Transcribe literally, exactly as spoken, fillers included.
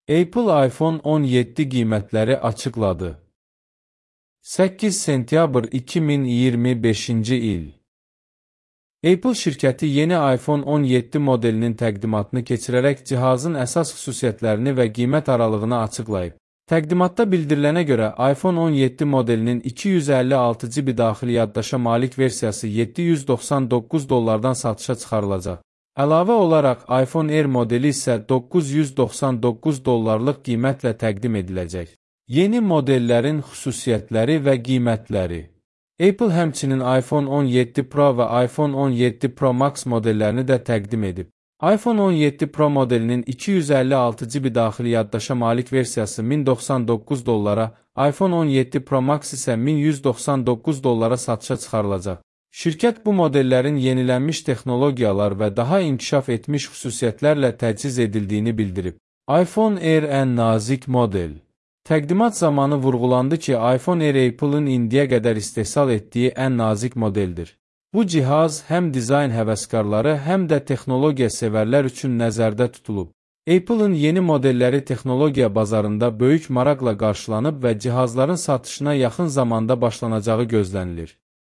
Apple iPhone on yeddi qiymətləri açıqladı. səkkiz sentyabr iki min iyirmi beşinci il. Apple şirkəti yeni iPhone on yeddi modelinin təqdimatını keçirərək cihazın əsas xüsusiyyətlərini və qiymət aralığını açıqlayıb. Təqdimatda bildirilənə görə iPhone on yeddi modelinin iki yüz əlli altı giqabayt daxili yaddaşa malik versiyası yeddi yüz doxsan doqquz dollardan satışa çıxarılacaq. Əlavə olaraq iPhone Air modeli isə doqquz yüz doxsan doqquz dollarlıq qiymətlə təqdim ediləcək. Yeni modellərin xüsusiyyətləri və qiymətləri. Apple həmçinin iPhone on yeddi Pro və iPhone on yeddi Pro Max modellərini də təqdim edib. iPhone on yeddi Pro modelinin iki yüz əlli altı giqabayt daxili yaddaşa malik versiyası min doxsan doqquz dollara, iPhone on yeddi Pro Max isə min yüz doxsan doqquz dollara satışa çıxarılacaq. Şirkət bu modellərin yenilənmiş texnologiyalar və daha inkişaf etmiş xüsusiyyətlərlə təchiz edildiyini bildirib. iPhone Air ən nazik model. Təqdimat zamanı vurğulandı ki, iPhone Air Apple'ın indiyə qədər istehsal etdiyi ən nazik modeldir. Bu cihaz həm dizayn həvəskarları, həm də texnologiya sevərlər üçün nəzərdə tutulub. Apple'ın yeni modelləri texnologiya bazarında böyük maraqla qarşılanıb və cihazların satışına yaxın zamanda başlanacağı gözlənilir.